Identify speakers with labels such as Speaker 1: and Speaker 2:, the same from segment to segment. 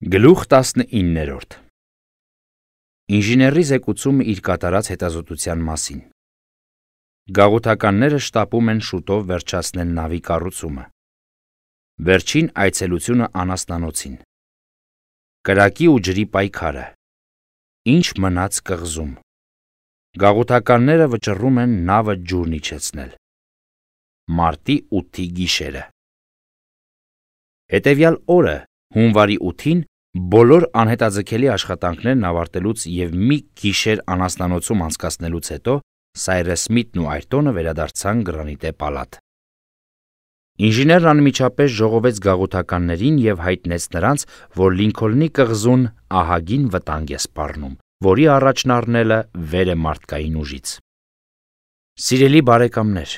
Speaker 1: Գլուխ 19 Ինժեների զեկուցումը իր կատարած հետազոտության մասին։ Գաղութականները շտապում են շուտով վերջացնել նավի կառուցումը։ Վերջին այցելությունը անասնանոցին։ Կրակի ու ջրի պայքարը։ Ինչ մնաց կղզում։ Գաղութականները վճռում են նավը ջուրն իջեցնել։ Մարտի 8-ի գիշերը։ Հետևյալ օրը, հունվարի 8-ին, բոլոր անհետաձգելի աշխատանքներն ավարտելուց և մի գիշեր անասնանոցում անցկացնելուց հետո Սայրես Սմիթն ու Այրտոնը վերադարձան Գրանիտե պալատ։ Ինժեներն անմիջապես ժողովեց գաղութականներին և հայտնեց նրանց, որ Լինքոլնի կղզուն ահագին վտանգ է սպառնում, որի առաջն առնելը վեր է մարդկային ուժից։ Սիրելի բարեկամներ,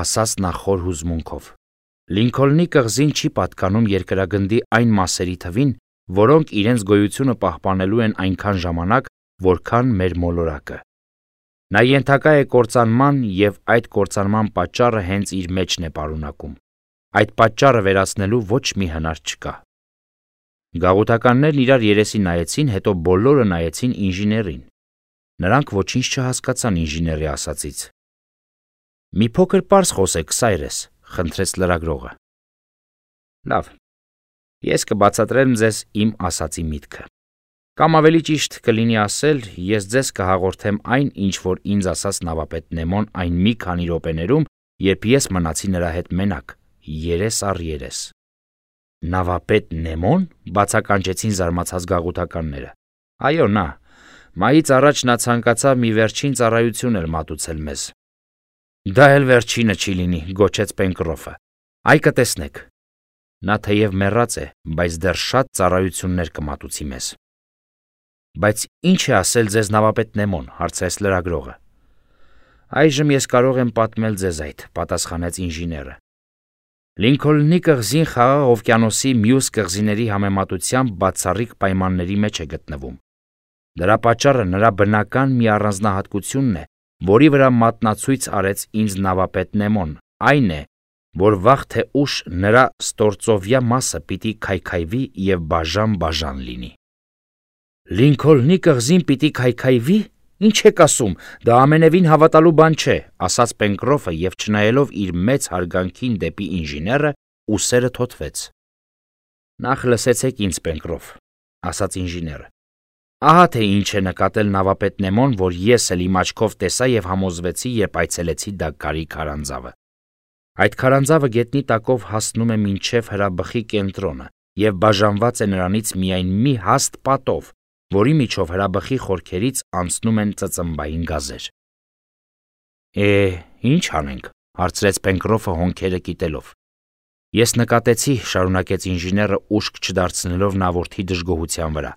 Speaker 1: ասաց նա խոր հուզմունքով, Լինքոլնի կղզին չի պատկանում երկրագնդի այն մասերի թվին, որոնք իրենց գոյությունը պահպանելու են այնքան ժամանակ, որքան մեր մոլորակը։ Նա ենթակա է կործանման և այդ կործանման պատճառը հենց իր մեջն է պարունակում։ Այդ պատճառը վերացնելու ոչ մի հնար չկա։ Գաղութականներն իրար երեսի նայեցին, հետո բոլորը նայեցին ինժեներին։ Նրանք ոչինչ չհասկացան ինժեների ասածից։ Մի փոքր պարզ խոսեք, Սայրես, խնդրեց լրագրողը։ Լավ, ես կբացատրեմ ձեզ իմ ասածի միտքը։ Կամ ավելի ճիշտ կլինի ասել, ես ձեզ կհաղորդեմ այն, ինչ որ ինձ ասաց նավապետ Նեմոն այն մի քանի րոպեներում, երբ ես մնացի նրա հետ մենակ, երես առ երես։ Նավապետ Նեմոն, բացականչեցին զարմացած գաղութականները։ Այո, նա։ Մայից առաջ նա ցանկացավ մի վերջին ծառայություն էլ մատուցել մեզ։ Դա էլ վերջինը չի լինի, գոչեց Պենկրոֆը։ Այ կտեսնեք։ Նա թեև մեռած է, բայց դեռ շատ ծառայություններ կմատուցի մեզ։ Բայց ինչ է ասել ձեզ նավապետ Նեմոն, հարցրեց լրագրողը։ Այժմ ես կարող եմ պատմել ձեզ այդ, պատասխանեց ինժեները։ Լինքոլնի կղզին Խաղաղ օվկիանոսի մյուս կղզիների համեմատությամբ բացառիկ պայմանների մեջ է գտնվում։ Դրա պատճառը նրա բնական մի առանձնահատկությունն է, որի վրա մատնացույց արեց ինձ նավապետ Նեմոն, այն է, որ վաղ թե ուշ նրա ստործովյա մասը պիտի քայքայվի և բաժան լինի։ Լինքոլնի կղզին պիտի քայքայվի։ Ինչ եք ասում, դա ամենևին հավատալու բան չէ, ասաց Պենկրոֆը և չնայելով իր մեծ հարգանքին դեպի ինժեները, ուսերը թոթվեց։ Նախ լսեցեք ինձ, Պենկրոֆ, ասաց ինժեները։ Ահա թե ինչ է նկատել նավապետ Նեմոն, որ ես էլ իմ աչքով տեսա և համոզվեցի, երբ այցելեցի Դագկարի քարանձավը։ Այդ քարանձավը գետնի տակով հասնում է մինչև հրաբխի կենտրոնը և բաժանված է նրանից միայն մի հաստ պատով, որի միջով հրաբխի խորքերից անցնում են ծծմբային գազեր։ Ինչ անենք, հարցրեց Պենկրոֆը հոնքերը կիտելով։ Ես նկատեցի, շարունակեց ինժեները ուշք չդարձնելով նավորդի դժգոհության վրա,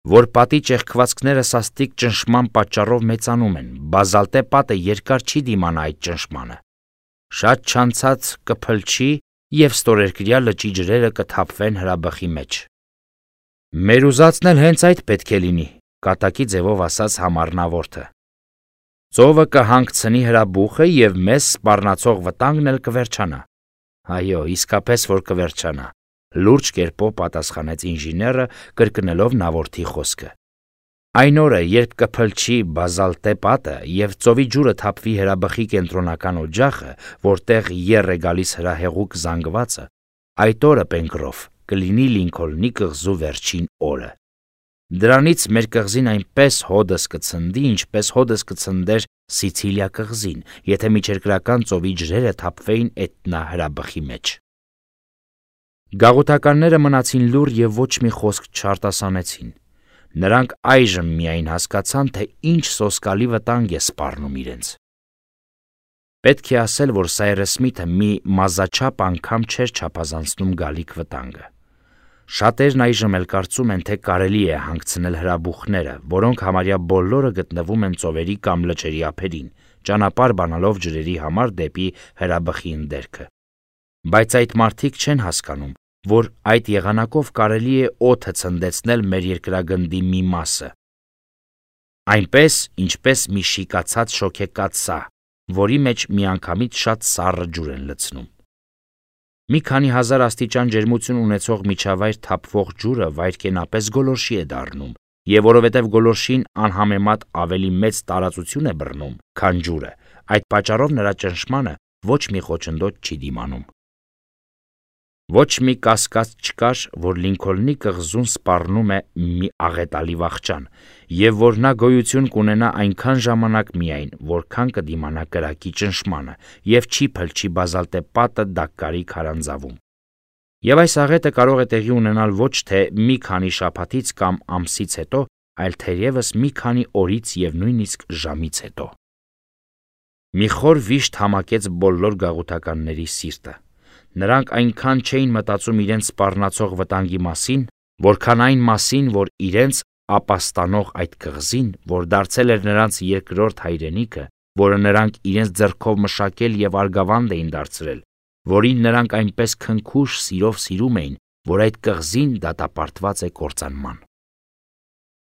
Speaker 1: որ պատի ճեղքվածքները սաստիկ ճնշման պատճառով մեծանում են, բազալտե պատը երկար չի դիմանա այդ ճնշմանը։ Շատ չանցած կփլչի և ստորերկրյա լճի ջրերը կթափվեն հրաբխի մեջ։ Մեր ուզածն էլ հենց այդ պետք է լինի, կատակի ձևով ասաց համառնավորը։ Ծովը կհանգցնի հրաբուխը և մեզ սպառնացող վտանգն էլ կվերջանա։ Այո, իսկապես որ կվերջանա, լուրջ կերպով պատասխանեց ինժեները, կրկնելով նավորդի խոսքը։ Այն օրը, երբ կփլչի բազալտե պատը և ծովի ջուրը թափվի հրաբխի կենտրոնական օջախը, որտեղ եռ է գալիս հրահեղուկ զանգվածը, այդ օրը, Պենկրոֆ, կլինի Լինքոլնի կղզու վերջին օրը։ Դրանից մեր կղզին այնպես հոդս կցնդի, ինչպես հոդս կցնդեր Սիցիլիա կղզին, եթե միջերկրական ծովի ջրերը թափվեին Էտնա հրաբխի մեջ։ Գաղութականները մնացին լուռ և ոչ մի խոսք չարտասանեցին։ Նրանք այժմ միայն հասկացան, թե ինչ սոսկալի վտանգ է սպառնում իրենց։ Պետք է ասել, որ Սայրես Սմիթը մի մազաչափ անգամ չէր չափազանցնում գալիք վտանգը։ Շատերն այժմ էլ կարծում են, թե կարելի է հանգցնել հրաբուխները, որոնք համարյա բոլորը գտնվում են ծովերի կամ լճերի ափերին, ճանապարհ բանալով ջրերի համար դեպի հրաբխի ընդերքը։ Բայց այդ մարդիկ չեն հասկանում, որ այդ եղանակով կարելի է օդը ցնդեցնել մեր երկրագնդի մի մասը։ Այնպես, ինչպես մի շիկացած շոգեկաթ սահ, որի մեջ միանգամից շատ սառը ջուր են լցնում։ Մի քանի հազար աստիճան ջերմություն ունեցող միջավայր թափվող ջուրը վայրկենապես գոլորշի է դառնում, եւ որովհետեւ գոլորշին անհամեմատ ավելի մեծ տարածություն է բռնում, քան ջուրը, այդ պատճառով նրա ճնշմանը ոչ մի խոչընդոտ չի դիմանում։ Ոչ մի կասկած չկար, որ Լինքոլնի կղզուն սպառնում է մի աղետալի վախճան, եւ որ նա գոյություն կունենա այնքան ժամանակ միայն, որքան կդիմանա կրակի ճնշմանը, եւ չի փլչի բազալտե պատը Դաքկարի քարանձավում։ Եվ այս աղետը կարող է տեղի ունենալ ոչ թե մի քանի շաբաթից կամ ամսից հետո, այլ թերևս մի քանի օրից եւ նույնիսկ ժամից հետո։ Մի խոր վիշտ համակեց բոլոր գաղութականների սիրտը։ Նրանք այնքան չէին մտածում իրենց սպառնացող վտանգի մասին, որքան այն մասին, որ իրենց ապաստանող այդ կղզին, որ դարձել էր նրանց երկրորդ հայրենիքը, որը նրանք իրենց ձեռքով մշակել եւ արգավանդ էին դարձրել, որին նրանք այնպես քնքուշ սիրով սիրում էին, որ այդ կղզին դատապարտված է կործանման։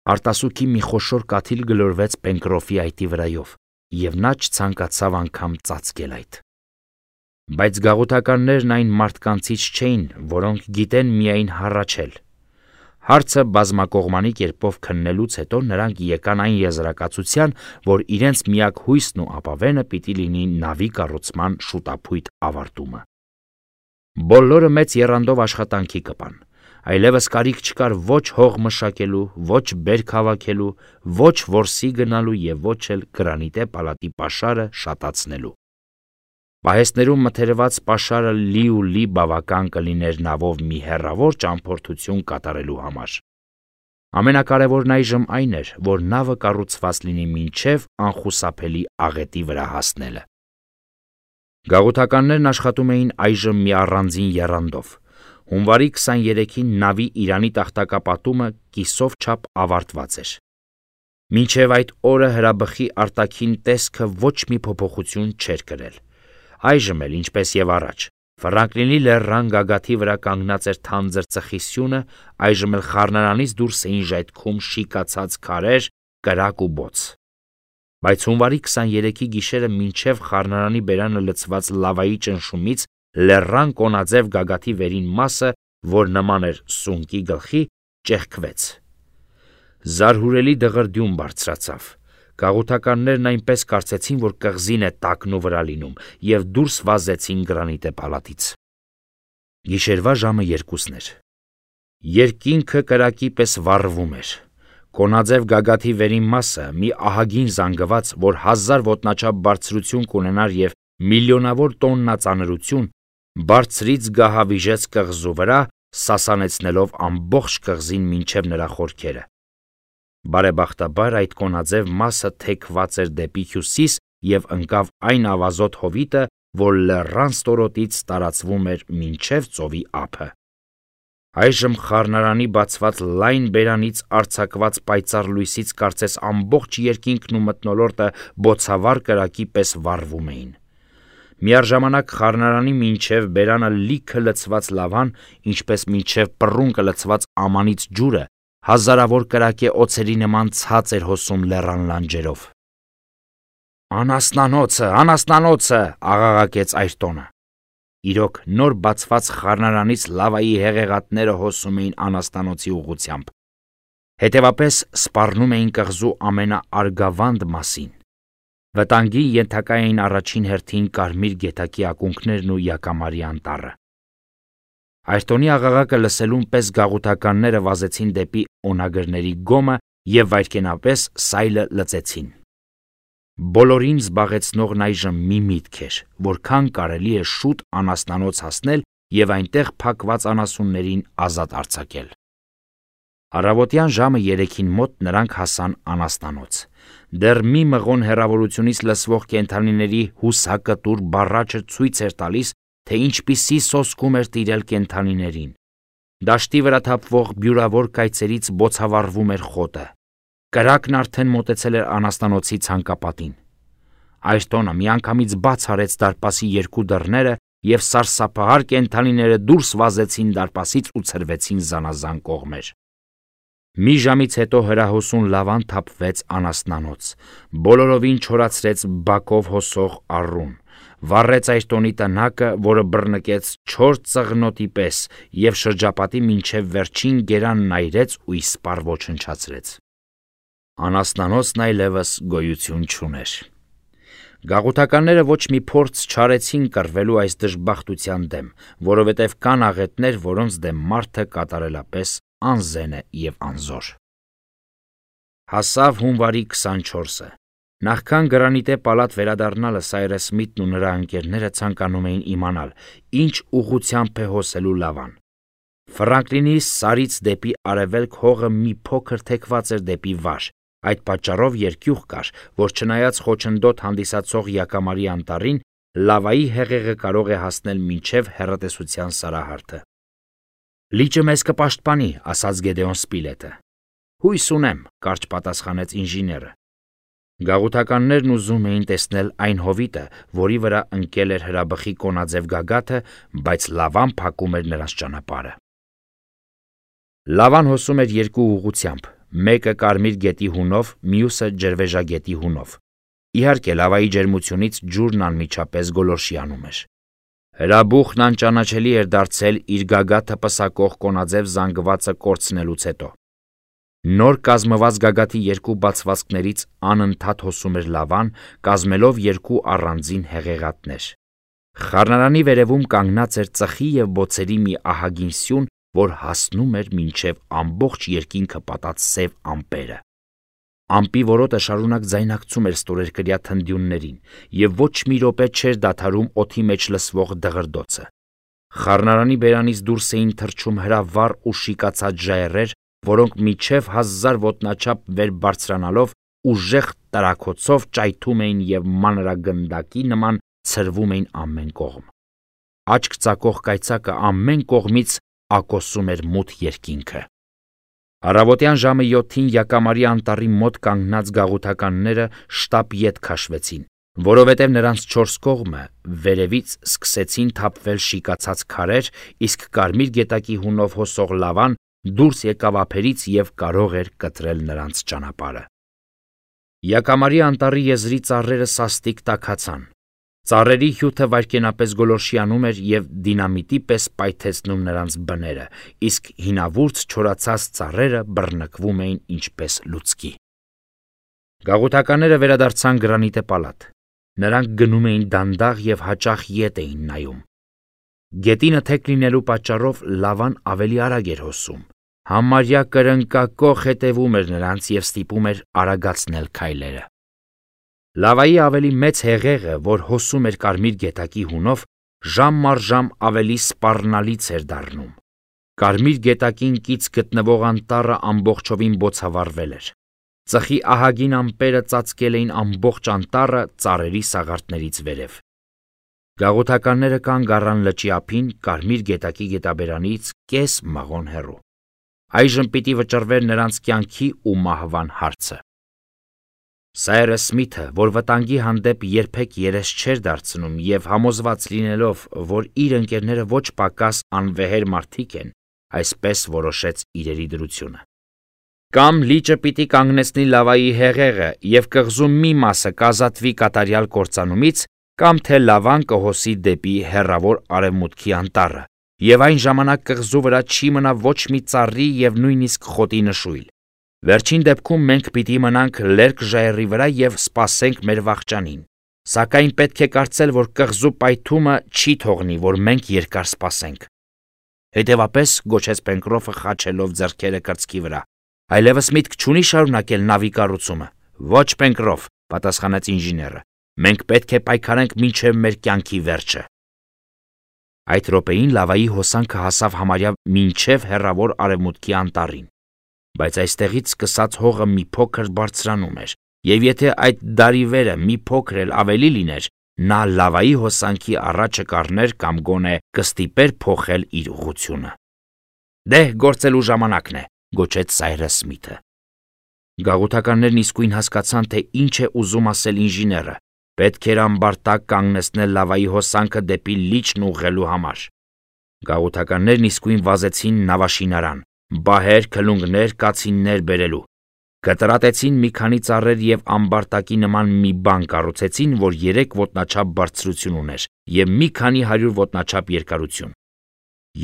Speaker 1: Արտասուքի մի խոշոր կաթիլ գլորվեց Պենկրոֆի այտի վրայով, եւ նա չցանկացավ անգամ ծածկել այդ։ Բայց գաղութականներն այն մարդկանցից չէին, որոնք գիտեն միայն հառաչել։ Հարցը բազմակողմանի կերպով քննելուց հետո նրանք եկան այն եզրակացության, որ իրենց միակ հույսն ու ապավենը պիտի լինի նավի կառուցման շուտափույթ ավարտումը։ Բոլորը մեծ եռանդով աշխատանքի կպան, այլևս կարիք չկար ոչ հող մշակելու, ոչ բերք հավաքելու, ոչ որսի գնալու եւ ոչ էլ գրանիտե պալատի պաշարը շատացնելու։ Պահեստներում մթերված պաշարը լի ու լի բավական կլիներ նավով մի հեռավոր ճամփորդություն կատարելու համար։ Ամենակարևորն այժմ այն էր, որ նավը կառուցված լինի մինչև անխուսափելի աղետի վրա հասնելը։ Գաղութականներն աշխատում էին այժմ մի առանձին եռանդով։ Հունվարի 23-ին նավի Իրանի տախտակապատումը կիսով չափ ավարտված էր։ Մինչև այդ օրը հրաբխի արտաքին տեսքը ոչ մի փոփոխություն չէր կրել։ Այժմ էլ, ինչպես եւ առաջ, Ֆրանկլինի լեռան գագաթի վրա կանգնած էր թանձր ծխի սյունը, այժմ էլ խառնարանից դուրս էին ժայթքում շիկացած քարեր, կրակ ու բոց։ Բայց հունվարի 23-ի գիշերը մինչև խառնարանի բերանը լցված լավայի ճնշումից լեռան կոնաձև գագաթի վերին մասը, որ նման էր սունկի գլխի, ճեղքվեց։ Զարհուրելի դղրդյուն բարձրացավ։ Գաղութականներն այնպես կարծեցին, որ կղզին է տակնու վրա լինում, եւ դուրս վազեցին գրանիտե պալատից։ Գիշերվա ժամը 2-ն էր։ Երկինքը կրակի պես վառվում էր։ Կոնաձև գագաթի վերին մասը, մի ահագին զանգված, որ 1000 ոտնաչափ բարձրություն կունենար եւ միլիոնավոր տոննա ծանրություն, բարձրից գահավիժեց կղզու վրա, սասանեցնելով ամբողջ կղզին մինչև նրա խորքերը։ Բարեբախտաբար այդ կոնաձև մասը թեքված էր դեպի հյուսիս եւ ընկավ այն ավազոտ հովիտը, որ լեռան ստորոտից տարածվում էր մինչև ծովի ափը։ Այժմ խառնարանի բացված լայն բերանից արձակված պայծառ լույսից կարծես ամբողջ երկինքն ու մթնոլորտը բոցավառ կրակի պես վառվում էին։ Միառժամանակ խառնարանի մինչև բերանը լիքը լցված լավան, ինչպես մինչև պռունկը լցված ամանից ջուրը, հազարավոր կրակե օձերի նման ցած էր հոսում լեռան լանջերով։ Անասնանոցը, աղաղակեց Այրտոնը։ Իրոք նոր բացված խառնարանից լավայի հեղեղատները հոսում էին անասնանոցի ուղղությամբ։ Հետևապես սպառնում էին կղզու ամենաարգավանդ մասին։ Վտանգի ենթակա էին առաջին հերթին կարմիր գետակի ակունքներն ու Յակամարի անտառը։ Այրտոնի աղաղակը լսելուն պես գաղութականները վազեցին դեպի օնագրների գոմը եւ վայրկենապես սայլը լծեցին։ Բոլորին զբաղեցնողն այժմ մի միտք էր, որքան կարելի է շուտ անասնանոց հասնել եւ այնտեղ փակված անասուններին ազատ արձակել։ Առավոտյան ժամը 3-ին մոտ նրանք հասան անասնանոց։ Դեռ մի մղոն հեռավորությունից լսվող կենդանիների հուսակտուր բառաչը ցույց էր տալիս, թե ինչպիսի սոսկում էր տիրել կենդանիներին։ Դաշտի վրա թափվող բյուրավոր կայծերից բոցավառվում էր խոտը։ Կրակն արդեն մոտեցել էր անասնանոցի ցանկապատին։ Այրտոնը միանգամից բաց արեց դարպասի երկու դռները եւ սարսափահար կենդանիները դուրս վազեցին դարպասից ու ցրվեցին զանազան կողմեր։ Մի ժամից հետո հրահոսուն լավան թափվեց անասնանոց, բոլորովին չորացրեց բակով հոսող առուն, վառեց Այրտոնի տնակը, որը բռնկեց 4 ծղնոտի պես և շրջապատի մինչև վերջին գերանն այրեց ու իսպառ ոչնչացրեց։ Անասնանոցն այլևս գոյություն չուներ։ Գաղութականները ոչ մի փորձ չարեցին կռվելու այս դժբախտության դեմ, որովհետև կան աղետներ, որոնց դեմ մարդը կատարելապես անզեն է և անզոր։ Հասավ հունվարի 24-ը։ Նախքան Գրանիտե պալատ վերադառնալը Սայրես Սմիթն ու նրա ընկերները ցանկանում էին իմանալ, ինչ ուղղությամբ է հոսելու Լավան։ Ֆրանկլինի սարից դեպի արևելք հողը մի փոքր թեքված էր դեպի վար, այդ պատճառով երկյուղ կար, որ չնայած խոչընդոտ հանդիսացող յակամարի անտառին, լավայի հեղեղը կարող է հասնել մինչև հեռատեսության սարահարթը։ «Լիճը մեզ կպաշտպանի», ասաց Գեդեոն Սպիլետը։ «Հույս ունեմ», կարճ պատասխանեց ինժեները։ Գաղութականներն ուզում էին տեսնել այն հովիտը, որի վրա ընկել էր հրաբխի կոնաձև գագաթը, բայց Լավան փակում էր նրանց ճանապարհը։ Լավան հոսում էր երկու ուղղությամբ, մեկը Կարմիր գետի հունով, մյուսը Ջրվեժագետի հունով։ Իհարկե, լավայի ջերմությունից ջուրն անմիջապես գոլորշիանում էր։ Հրաբուխն անճանաչելի էր դարձել իր գագաթը պսակող կոնաձև զանգվածը կորցնելուց հետո։ Նոր կազմված գագաթի երկու բացվածքներից անընդհատ հոսում էր Լավան, կազմելով երկու առանձին հեղեղատներ։ Խառնարանի վերևում կանգնած էր ծխի և բոցերի մի ահագին սյուն, որ հասնում էր մինչև ամբողջ երկինքը պատած սև ամպերը։ Ամպի որոտը շարունակ ձայնակցում էր ստորերկրյա թնդյուններին, և ոչ մի րոպե չէր դադարում օդի մեջ լսվող դղրդոցը։ Խառնարանի բերանից դուրս էին թռչում հրավառ ու շիկացած ժայռեր, որոնք մինչև 1000 ոտնաչափ վեր բարձրանալով ուժեղ տրաքոցով ճայթում էին և մանրագնդակի նման ցրվում էին ամեն կողմ։ Աչք ծակող կայծակը ամեն կողմից ակոսում էր մութ երկինքը։ Առավոտյան ժամը 7-ին յակամարի անտառի մոտ կանգնած գաղութականները շտապ ետ քաշվեցին, որովհետև նրանց 4 կողմը վերևից սկսեցին թափվել շիկացած քարեր, իսկ Կարմիր գետակի հունով հոսող Լավան դուրս եկավ ափերից և կարող էր կտրել նրանց ճանապարհը։ Յակամարի անտառի եզրի ծառերը սաստիկ տաքացան։ Ծառերի հյութը վայրկենապես գոլորշիանում էր և դինամիտի պես պայթեցնում նրանց բները, իսկ հինավուրց չորացած ծառերը բռնկվում էին ինչպես լուցկի։ Գաղութականները վերադարձան Գրանիտե պալատ։ Նրանք գնում էին դանդաղ և հաճախ ետ էին նայում։ Գետինը թեք լինելու պատճառով Լավան ավելի արագ էր հոսում։ Համարյա կրնկակոխ հետևում էր նրանց և ստիպում էր արագացնել քայլերը։ Լավայի ավելի մեծ հեղեղը, որ հոսում էր Կարմիր գետակի հունով, ժամ առ ժամ ավելի սպառնալից էր դառնում։ Կարմիր գետակին կից գտնվող անտառը ամբողջովին բոցավառվել էր։ Ծխի ահագին ամպերը ծածկել էին ամբողջ անտառը ծառերի սաղարթներից վերև։ Գաղութականները կանգ առան լճի ափին Կարմիր գետակի գետաբերանից կես մղոն հեռու։ Այժմ պիտի վճռվեր նրանց կյանքի ու մահվան հարցը։ Սայրես Սմիթը, որ վտանգի հանդեպ երբեք երես չէր դարձնում և համոզված լինելով, որ իր ընկերները ոչ պակաս անվեհեր մարդիկ են, այսպես որոշեց իրերի դրությունը։ Կամ լիճը պիտի կանգնեցնի լավայի հեղեղը և կղզու մի մասը կազատվի կատարյալ կործանումից, կամ թե Լավան կհոսի դեպի հեռավոր արևմուտքի անտառը, և այն ժամանակ կղզու վրա չի մնա ոչ մի ծառի և նույնիսկ խոտի նշույլ։ Վերջին դեպքում մենք պիտի մնանք լերկ ժայռի վրա և սպասենք մեր վախճանին, սակայն պետք է կարծել, որ կղզու պայթումը չի թողնի, որ մենք երկար սպասենք։ Հետևապես, գոչեց Պենկրոֆը խաչելով ձեռքերը կրծքի վրա, այլևս միտք չունի շարունակել նավի կառուցումը։ Ոչ, Պենկրոֆ, պատասխանեց ինժեները, մենք պետք է պայքարենք մինչև մեր կյանքի վերջը։ Այդ րոպեին լավայի հոսանքը հասավ համարյա մինչև հեռավոր արևմուտքի անտառին, բայց այստեղից սկսած հողը մի փոքր բարձրանում էր, և եթե այդ դարիվերը մի փոքր էլ ավելի լիներ, նա լավայի հոսանքի առաջը կառներ կամ գոնե կստիպեր փոխել իր ուղղությունը։ Դե, գործելու ժամանակն է, գոչեց Սայրես Սմիթը։ Գաղութականներն իսկույն հասկացան, թե ինչ է ուզում ասել ինժեները։ Պետք էր ամբարտակ կանգնեցնել լավայի հոսանքը դեպի լիճն ուղղելու համար։ Գաղութականներն իսկույն վազեցին նավաշինարան, բահեր, քլունգներ, կացիններ բերելու։ Կտրատեցին մի քանի ծառեր և ամբարտակի նման մի բան կառուցեցին, որ 3 ոտնաչափ բարձրություն ուներ և մի քանի 100 ոտնաչափ երկարություն։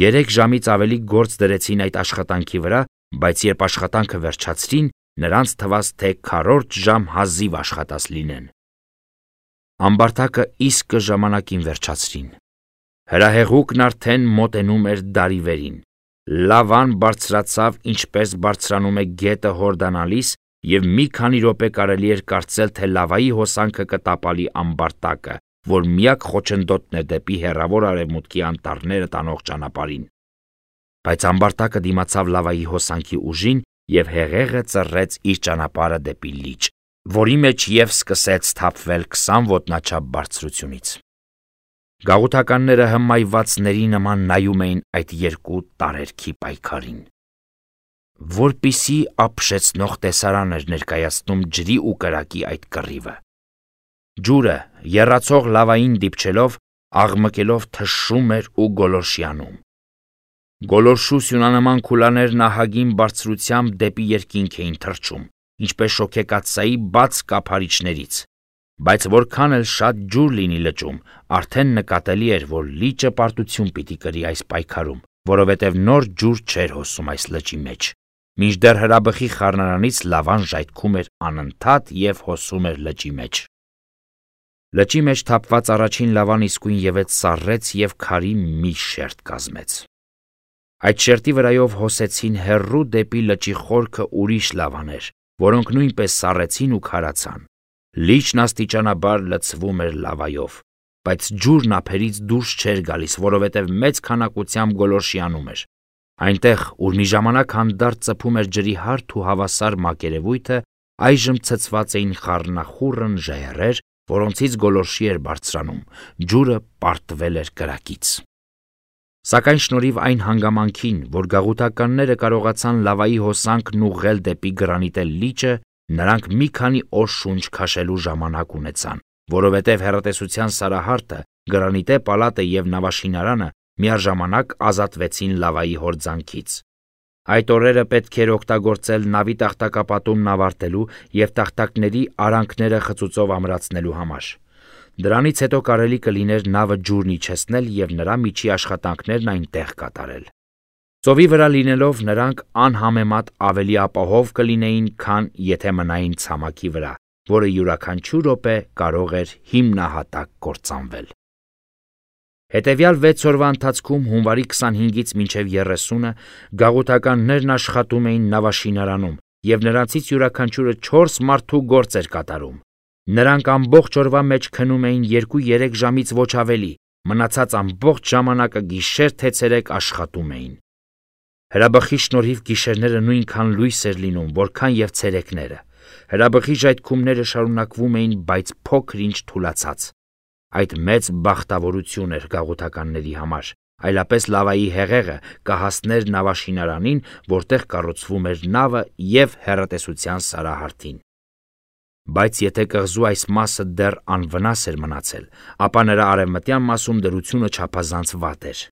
Speaker 1: 3 ժամից ավելի գործ դրեցին այդ աշխատանքի վրա, բայց երբ աշխատանքը վերջացրին, նրանց թվաց, թե 4 ժամ հազիվ աշխատած լինեն։ Ամբարտակը իսկ ժամանակին վերջացրին։ Հրահեղուկն արդեն մոտենում էր դարիվերին։ Լավան բարձրացավ, ինչպես բարձրանում է գետը հորդանալիս, և մի քանի րոպե կարելի էր կարծել, թե լավայի հոսանքը կտապալի ամբարտակը, որ միակ խոչընդոտն է դեպի հեռավոր արևմուտքի անտառները տանող ճանապարհին։ Բայց ամբարտակը դիմացավ լավայի հոսանքի ուժին և հեղեղը ծռեց իր ճանապարհը դեպի լիճ, որի մեջ և սկսեց թափվել 20 ոտնաչափ բարձրությունից։ Գաղութականները հմայվածների նման նայում էին այդ երկու տարերքի պայքարին։ Որպիսի ապշեցնող տեսարան էր ներկայացնում ջրի ու կրակի այդ կռիվը։ Ջուրը, եռացող լավային դիպչելով, աղմկելով թշում էր ու գոլորշիանում։ Գոլորշու սյունանման քուլաներն ահագին բարձրությամբ դեպի երկինք էին թռչում, ինչպես շոգեկաթսայի բաց կափարիչներից, բայց որքան էլ շատ ջուր լինի լճում, արդեն նկատելի էր, որ լիճը պարտություն պիտի կրի այս պայքարում, որովհետև նոր ջուր չէր հոսում այս լճի մեջ, մինչդեռ հրաբխի խառնարանից լավան ժայթքում էր անընդհատ և հոսում էր լճի մեջ։ Լճի մեջ թափված առաջին լավան իսկույն ևեթ սառեց և քարի մի շերտ կազմեց։ Այդ շերտի վրայով հոսեցին հեռու դեպի լճի խորքը ուրիշ լավաներ, որոնք նույնպես սառեցին ու քարացան։ Լիճն աստիճանաբար լցվում էր լավայով, բայց ջուրն ափերից դուրս չէր գալիս, որովհետև մեծ քանակությամբ գոլորշիանում էր։ Այնտեղ, ուր մի ժամանակ հանդարտ ծփում էր ջրի հարթ ու հավասար մակերևույթը, այժմ ցցված էին խառնախուռն ժայռեր, որոնցից գոլորշի էր բարձրանում, ջուրը պարտվել էր կրակից։ Սակայն շնորհիվ այն հանգամանքին, որ գաղութականները կարողացան լավայի հոսանքն ուղղել դեպի գրանիտե լիճը, նրանք մի քանի օր շունչ քաշելու ժամանակ ունեցան, որովհետև հեռատեսության սարահարթը, գրանիտե պալատը և նավաշինարանը միաժամանակ ազատվեցին լավայի հորձանքից։ Այդ օրերը պետք էր օգտագործել նավի տախտակապատումն ավարտելու և տախտակների արանքները խծուծով ամրացնելու համար։ Դրանից հետո կարելի կլիներ նավը ջուրն իջեցնել և նրա միջի աշխատանքներն այնտեղ կատարել։ Ծովի վրա լինելով նրանք անհամեմատ ավելի ապահով կլինեին, քան եթե մնային ցամաքի վրա, որը յուրաքանչյուր րոպե կարող էր հիմնահատակ կործանվել։ Հետևյալ 6 օրվա ընթացքում հունվարի 25-ից մինչև 30-ը գաղութականներն աշխատում էին նավաշինարանում և նրանցից յուրաքանչյուրը 4 մարդու գործ էր կատարում։ Նրանք ամբողջ օրվա մեջ քնում էին 2-3 ժամից ոչ ավելի, մնացած ամբողջ ժամանակը գիշեր թե ցերեկ աշխատում էին։ Հրաբխի շնորհիվ գիշերները նույնքան լույս էր լինում, որքան և ցերեկները։ Հրաբխի ժայթքումները շարունակվում էին, բայց փոքր-ինչ թուլացած։ Այդ մեծ բախտավորություն էր գաղութականների համար, այլապես լավայի հեղեղը կհասներ նավաշինարանին, որտեղ կառուցվում էր նավը և հեռատեսության սարահարթին։ Բայց եթե կղզու այս մասը դեռ անվնաս էր մնացել, ապա նրա արևմտյան մասում դրությունը չափազանց վատ էր։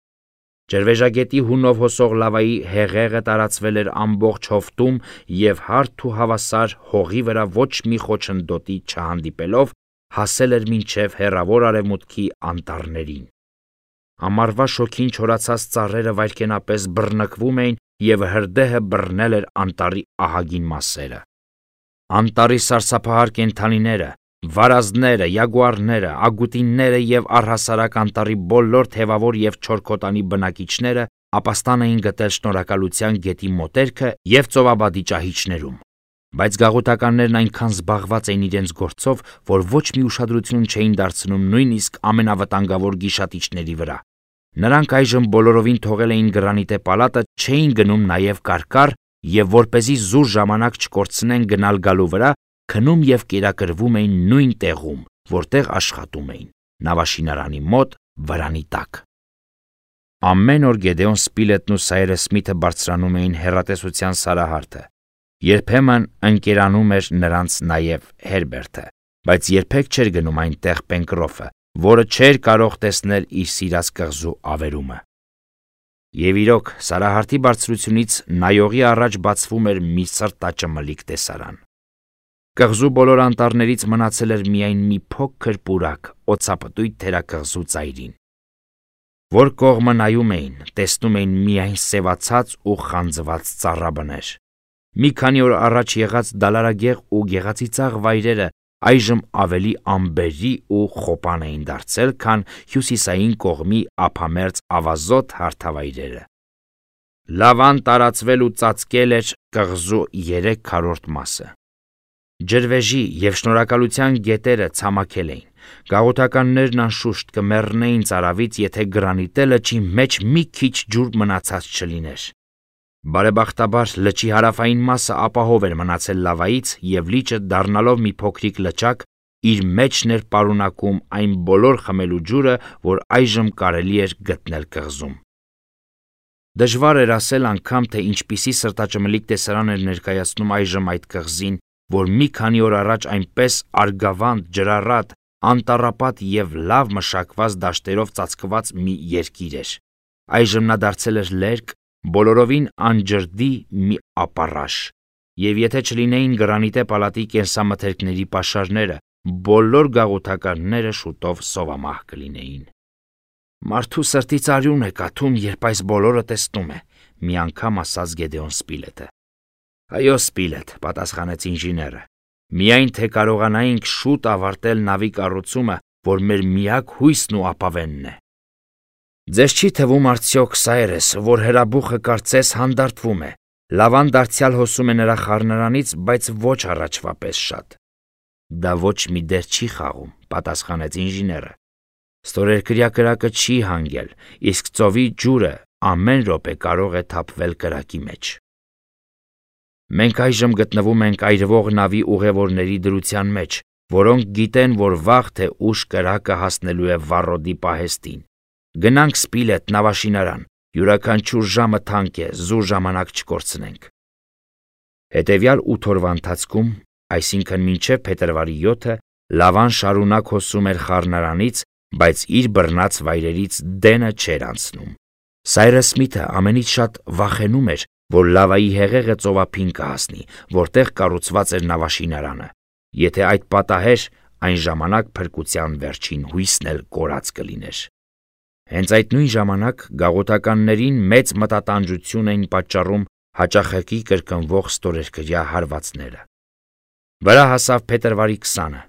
Speaker 1: Ջրվեժագետի հունով հոսող լավայի հեղեղը տարածվել էր ամբողջ հովտում և հարթ ու հավասար հողի վրա ոչ մի խոչընդոտի չհանդիպելով հասել էր մինչև հեռավոր արևմուտքի անտառներին։ Ամառվա շոգին չորացած ծառերը վայրկենապես բռնկվում էին և հրդեհը բռնել էր անտառի ահագին մասերը։ Անտառի սարսափահար կենդանիները, վարազները, յագուարները, ագուտինները և առհասարակ անտառի բոլոր թևավոր և չորքոտանի բնակիչները ապաստան էին գտել Շնորհակալության գետի մոտերքը և ծովաբադի ճահիճներում։ Բայց գաղութականներն այնքան զբաղված էին իրենց գործով, որ ոչ մի ուշադրություն չէին դարձնում նույնիսկ ամենավտանգավոր գիշատիչների վրա։ Նրանք այժմ բոլորովին թողել էին գրանիտե պալատը, չէին գնում նաև կարկառ և որպեսզի զուր ժամանակ չկորցնեն գնալ գալու վրա, քնում և կերակրվում էին նույն տեղում, որտեղ աշխատում էին, նավաշինարանի մոտ վրանի տակ։ Ամեն օր Գեդեոն Սպիլետն ու Սայրս Սմիթը բարձրանում էին հեռատեսության սարահարթը։ Երբեմն ընկերանում էր նրանց նաև Հերբերտը, բայց երբեք չէր գնում այնտեղ Պենկրոֆը, որը չէր կարող տեսնել իր սիրած կղզու ավերումը։ Եվ իրոք, Սարահարթի բարձրությունից նայողի առաջ բացվում էր մի սրտաճմլիկ տեսարան։ Կղզու բոլոր անտառներից մնացել էր միայն մի փոքր պուրակ օծապտույտ թերակղզու ծայրին։ Որ կողմը նայում էին, տեսնում էին միայն սևացած ու խանձված ծառաբներ։ Մի քանի օր առաջ եղած դալարագեղ ու գեղեցիկ վայրերը այժմ ավելի ամբերի ու խոպան էին դարձել, քան հյուսիսային կողմի ափամերձ ավազոտ հարթավայրերը։ Լավան տարածվել ու ծածկել էր կղզու 3/4 մասը։ Ջրվեժի և շնորհակալության գետերը ցամաքել էին։ Գաղութականներն անշուշտ կմեռնեին ծարավից, եթե գրանիտե լճի մեջ մի քիչ ջուր մնացած չլիներ։ Բարեբախտաբար լճի հարավային մասը ապահով էր մնացել լավայից, և լիճը, դառնալով մի փոքրիկ լճակ, իր մեջն էր պարունակում այն բոլոր խմելու ջուրը, որ այժմ կարելի էր գտնել կղզում։ Դժվար էր ասել անգամ, թե ինչպիսի սրտաճմլիկ տեսարան էր ներկայացնում այժմ այդ կղզին, որ մի քանի օր առաջ այնպես արգավանդ, ջրառատ, անտառապատ և լավ մշակված դաշտերով ծածկված մի երկիր էր։ Այժմ նա դարձել էր լերկ, բոլորովին անջրդի մի ապառաշ, և եթե չլինեին գրանիտե պալատի կենսամթերքների պաշարները, բոլոր գաղութականները շուտով սովամահ կլինեին։ Մարդու սրտից արյուն է կաթում, երբ այս բոլորը տեսնում է, մի անգամ ասաց Գեդեոն Սպիլետը։ Այո, Սպիլետ, պատասխանեց ինժեները, միայն թե կարողանայինք շուտ ավարտել նավի կառուցումը, որ մեր միակ հույսն ու ապավենն է։ Ձեզ չի թվում արդյոք, Սայրես, որ հրաբուխը կարծես հանդարտվում է, լավան դարձյալ հոսում է նրա խառնարանից, բայց ոչ առաջվա պես շատ։ Դա ոչ մի դեր չի խաղում, պատասխանեց ինժեները։ Ստորերկրյա կրակը չի հանգել, իսկ ծովի ջուրը ամեն րոպե կարող է թափվել կրակի մեջ։ Մենք այժմ գտնվում ենք այրվող նավի ուղևորների դրության մեջ, որոնք գիտեն, որ վաղ թե ուշ կրակը հասնելու է Վառոդի պահեստին։ Գնանք Սպիլետ նավաշինարան, յուրաքանչյուր ժամը թանկ է, զուր ժամանակ չկորցնենք։ Հետևյալ 8 օրվա ընթացքում, այսինքն մինչև փետրվարի 7-ը, լավան շարունակ հոսում էր խառնարանից, բայց իր բռնած վայրերից դենը չէր անցնում։ Սայրս Սմիթը ամենից շատ վախենում էր, որ լավայի հեղեղը ծովափին կհասնի, որտեղ կառուցված էր նավաշինարանը։ Եթե այդ պատահեր, այն ժամանակ փրկության վերջին հույսն էլ կորած կլիներ։ Հենց այդ նույն ժամանակ գաղութականներին մեծ մտատանջություն էին պատճառում հաճախակի կրկնվող ստորերկրյա հարվածները։ Վրա հասավ փետրվարի 20-ը։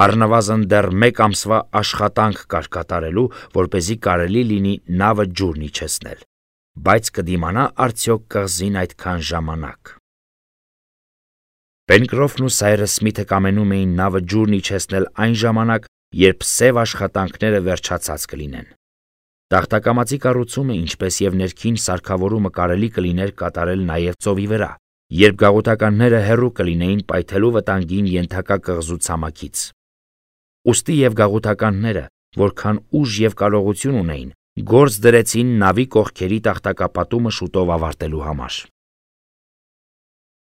Speaker 1: Առնվազն դեռ 1 ամսվա աշխատանք կար կատարելու, որպեսզի կարելի լինի նավը ջուրն իջեցնել, բայց կդիմանա արդյոք կղզին այդքան ժամանակ։ Պենկրոֆն ու Սայրս Սմիթը կամենում էին նավը ջուրն իջեցնել այն ժամանակ, երբ սև աշխատանքները վերջացած կլինեն։ Տախտակամածի կառուցումը, ինչպես և ներքին սարքավորումը կարելի կլիներ կատարել նաև ծովի վրա, երբ գաղութականները հեռու կլինեին պայթելու վտանգին ենթակա կղզու ցամաքից։ Ուստի և գաղութականները, որքան ուժ և կարողություն ունեին, գործ դրեցին նավի կողքերի տախտակապատումը շուտով ավարտելու համար։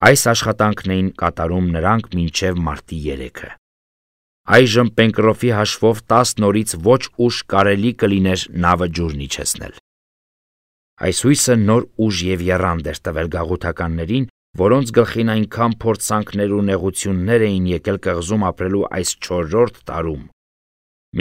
Speaker 1: Այս աշխատանքն էին կատարում նրանք մինչև մարտի 3-ը։ Այժմ Պենկրոֆի հաշվով 10 օրից ոչ ուշ կարելի կլիներ նավը ջուրն իջեցնել։ Այս հույսը նոր ուժ և եռանդ էր տվել գաղութականներին, որոնց գլխին այնքան փորձանքներ ու նեղություններ էին եկել կղզում ապրելու այս 4-րդ տարում։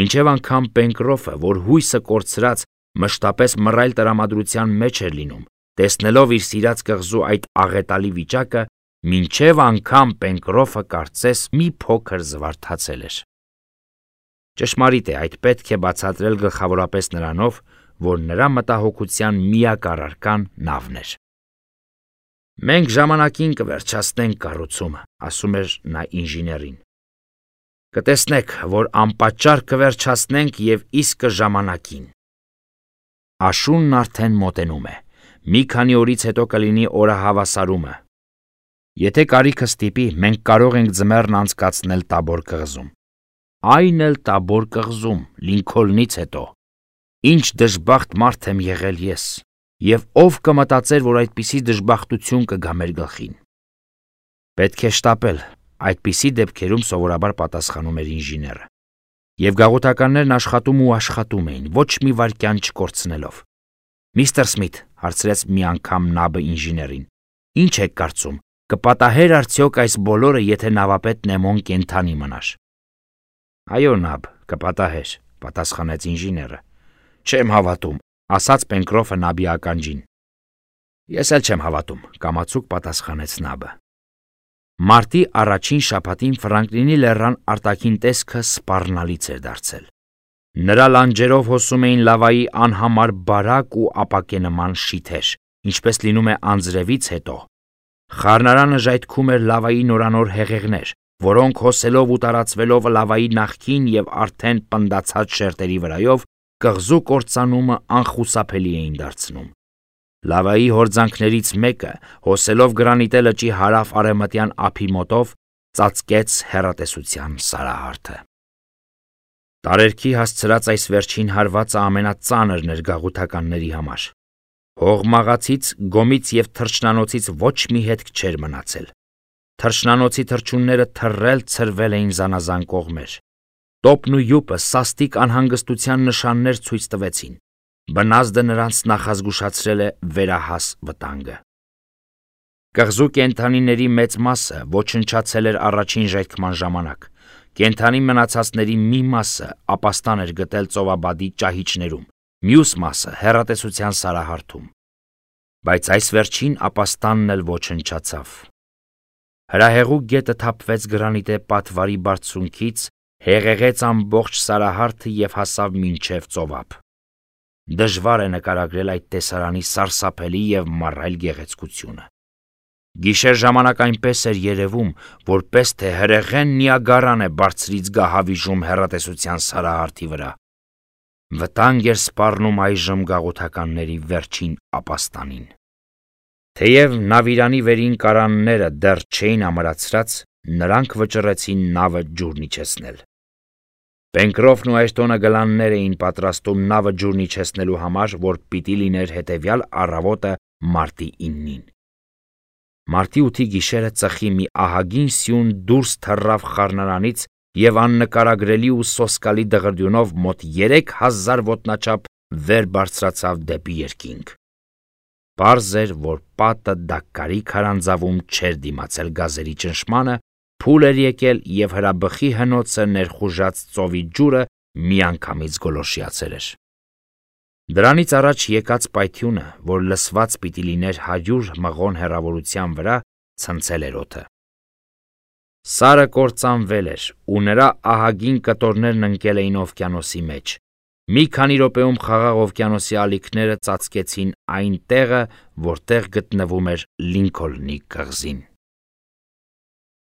Speaker 1: Մինչև անգամ Պենկրոֆը, որ հույսը կորցրած, մշտապես մռայլ տրամադրության մեջ էր լինում, տեսնելով իր սիրած կղզու այդ աղետալի վիճակը, մինչև անգամ Պենկրոֆը կարծես մի փոքր զվարթացել էր։ Ճշմարիտ է, այդ պետք է բացատրել գլխավորապես նրանով, որ նրա մտահոգության միակ առարկան նավն էր։ Մենք ժամանակին կվերջացնենք կառուցումը, ասում էր նա ինժեներին։ Կտեսնեք, որ անպատճառ կվերջացնենք և իսկը ժամանակին։ Աշունն արդեն մոտենում է։ Մի քանի օրից հետո կլինի օրահավասարումը։ Եթե կարիքը ստիպի, մենք կարող ենք ձմեռն անցկացնել Տաբոր կղզում։ Այն էլ Տաբոր կղզում, Լինքոլնից հետո։ Ինչ դժբախտ մարդ եմ եղել ես, և ով կմտածեր, որ այդպիսի դժբախտություն կգա մեր գլխին։ Պետք է շտապել, այդպիսի դեպքերում սովորաբար պատասխանում էր ինժեները։ Եվ գաղութականներն աշխատում ու աշխատում էին, ոչ մի վայրկյան չկորցնելով։ Միստր Սմիթ, հարցրեց մի անգամ նաբը ինժեներին, ինչ եք կարծում, կպատահեր արդյոք այս բոլորը, եթե նավապետ Նեմոն կենդանի մնար։ Այո, նաբ, կպատահեր, պատասխանեց ինժեները։ Չեմ հավատում, ասաց Պենկրոֆը նաբի ականջին։ Ես էլ չեմ հավատում, կամացուկ պատասխանեց նաբը։ Մարտի առաջին շաբաթին Ֆրանկլինի լեռան արտաքին տեսքը սպառնալից էր դարձել։ Նրա լանջերով հոսում էին լավայի անհամար բարակ ու ապակենման շիթեր, ինչպես լինում է անձրևից հետո։ Խառնարանը ժայթքում էր լավայի նորանոր հեղեղներ, որոնք հոսելով ու տարածվելով լավայի նախքին եւ արդեն պնդացած շերտերի վրայով կղզու կործանումը անխուսափելի էին դարձնում։ Լավայի հորձանքներից մեկը, հոսելով գրանիտե լճի հարավ-արևմտյան ափի մոտով, ծածկեց հեռատեսության սարահարթը։ Տարերքի հասցրած այս վերջին հարվածը ամենածանրն էր գաղութականների համար։ Հողմաղացից, գոմից եւ թռչնանոցից ոչ մի հետք չէր մնացել։ Թռչնանոցի թռչունները թռել ցրվել էին զանազան կողմեր։ Տոպն ու յուպը սաստիկ անհանգստության նշաններ ցույց տվեցին։ Բնազդը նրանց նախազգուշացրել է վերահաս վտանգը։ Կղզու կենդանիների մեծ մասը ոչնչացել էր առաջին ժայթքման ժամանակ։ Կենդանի մնացածների մի մասը ապաստան էր գտել ծովաբադի ճահիճներում, մյուս մասը հեռատեսության սարահարթում։ Բայց այս վերջին ապաստանն էլ ոչնչացավ։ Հրահեղուկ գետը թափվեց գրանիտե պատվարի բարձունքից, հեղեղեց ամբողջ սարահարթը եւ հասավ մինչև ծովափ։ Դժվար է նկարագրել այդ տեսարանի սարսափելի եւ մռայլ գեղեցկությունը։ Գիշեր ժամանակ այնպես էր երևում, որպես թե հրեղեն Նիագարան է բարձրից գահավիժում հեռատեսության սարահարթի վրա։ Վտանգ էր սպառնում այժմ գաղութականների վերջին ապաստանին։ Թեև նավիրանի վերին կարանները դեռ չէին ամրացրած, նրանք վճռեցին նավը ջուրն իջեցնել։ Պենկրոֆն ու Այրտոնը գլաններ էին պատրաստում նավը ջուրն իջեցնելու համար, որ պիտի լիներ հետևյալ առավոտը մարտի 9-ին։ Մարտի 8-ի գիշերը ծխի մի ահագին սյուն դուրս թռավ խառնարանից եւ աննկարագրելի ու սոսկալի դղրդյունով մոտ 3000 ոտնաչափ վեր բարձրացավ դեպի երկինք։ Պարզ էր, որ պատը դակկարի քարանձավում չէր դիմացել գազերի ճնշմանը, փուլ էր եկել եւ հրաբխի հնոցը ներխուժած ծովի ջուրը միանգամից գոլորշիացել էր։ Դրանից առաջ եկած պայթյունը, որ լսված պիտի լիներ 100 մղոն հեռավորության վրա, ցնցել էր օդը։ Սարը կործանվել էր, ու նրա ահագին կտորներն ընկել էին օվկիանոսի մեջ։ Մի քանի րոպեում խաղաղ օվկիանոսի ալիքները ծածկեցին այն տեղը, որտեղ գտնվում էր Լինքոլնի կղզին։